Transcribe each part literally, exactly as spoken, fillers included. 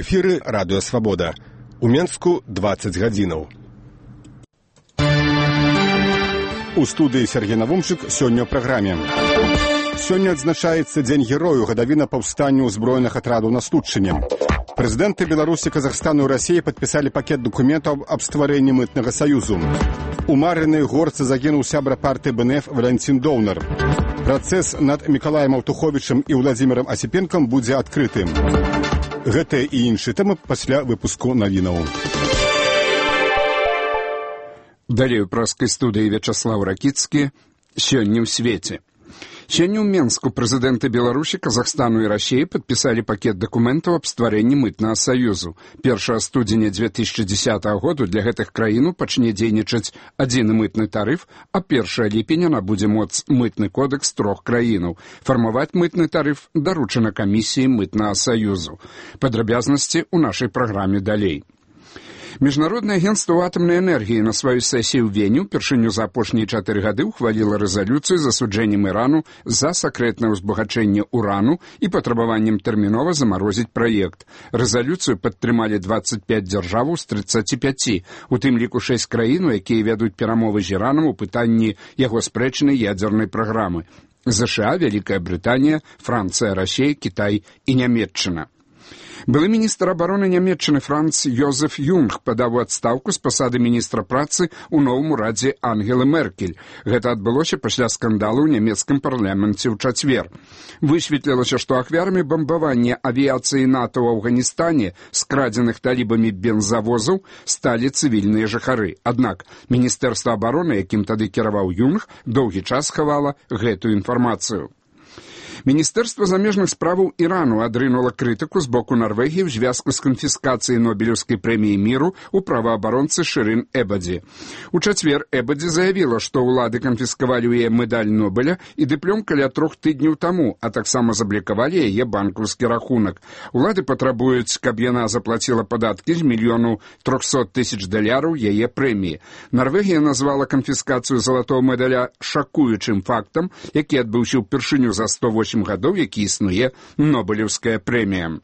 эфіры радыё Свабода. У Менску дваццаць гадзінаў. У студыі Сергей Навумчык сёння ў праграме. Сёння адзначаецца Дзень герою, гадавіна паўстанню ўзброеных атрадаў на Студчыне. Прэзідэнты Беларусі, Казахстану і Расіі падпісалі пакет дакументаў аб стварэнні мытнага саюзу. У Марынай горцы загінуў сябра партыі БНФ Валянцін Доўнар. Працэс над Мікалаем Аўтуховічам і Владзімірам Асіпенкам будзе адкрытым. Гэтыя і іншыя тэмы пасля выпуску навінаў. Далей у праскай студыі Вячаслаў Ракіцкі. Сёння ў свеце. Сёння ў Менску прэзідэнты Беларусі, Казахстану і Расіі падпісалі пакет дакументаў аб стварэнні мытнага саюзу. першага студзеня дзве тысячы дзесятага году для гэтых краінаў пачне дзейнічаць адзіны мытны тарыф, а першага ліпеня набудзе моц мытны кодэкс трох краінаў. Фармаваць мытны тарыф даручана камісіі мытнага саюзу. Падрабязнасці ў нашай праграме далей. Міжнароднае агенцтва атамнай энергіі на сваёй сесіі ў Вені ўпершыню за апошнія чатыры гады ўхваліла рэзалюцыю з асуджэннем Ірану за сакрэтнае ўзбагачэнне урану і патрабаваннем тэрмінова замарозіць праект. Рэзалюцыю падтрымалі дваццаць пяць дзяржаваў з трыццаці пяці, у тым ліку шэсць краін, якія вядуць перамовы з Іранам у пытанні яго спрэчнай ядзернай праграмы. ЗША, Вялікая Брытанія, Францыя, Расія, Кітай і Нямецчына. Былы міністр абароны Нямецчыны Франц Йозеф Юнг падаў у адстаўку з пасады міністра працы ў новым урадзе Ангелы Меркель. Гэта адбылося пасля скандалу ў нямецкім парламенце ў чацвер. Высветлілася, што ахвярамі бамбавання авіяцыі НАТО ў Афганістане скрадзеных талібамі бензавозаў сталі цывільныя жыхары. Аднак міністэрства абароны, якім тады кіраваў Юнг, доўгі час хавала гэтую інфармацыю. Міністэрства замежных справаў Ірану адрынула крытыку з боку Нарвегіі ў звязку з канфіскацыяй Нобелеўскай прэміі міру ў праваабаронцы Шырын Эбадзі. У чацвер Эбадзі заявіла, што ўлады канфіскавалі ў яе медаль Нобеля і дыплём каля трох тыдняў таму, а таксама заблікавалі яе банкаўскі рахунак. Улады патрабуюць, каб яна заплаціла падаткі з мільёну трохсот тысяч даляраў яе прэміі. Нарвегія назвала канфіскацыю залатого медаля шакуючым фактам, які адбыўся ўпершыню за сто восем гадоў, які існуе Нобелеўская прэмія.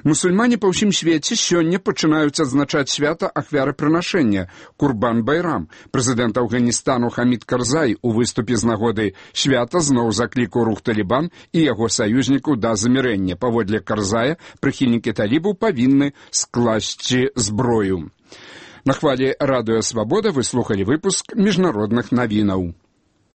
Мусульмане па ўсім свеце сёння пачынаюць адзначаць свята ахвярапрынашэння Курбан-Байрам. Прэзідэнт Афганістану Хамід Карзай у выступе з нагоды свята зноў заклікаў рух Талібан і яго саюзнікаў да замірэння. Паводле Карзая, прыхільнікі талібаў павінны скласці зброю. На хвалі радыё Свабода вы слухалі выпуск міжнародных навінаў.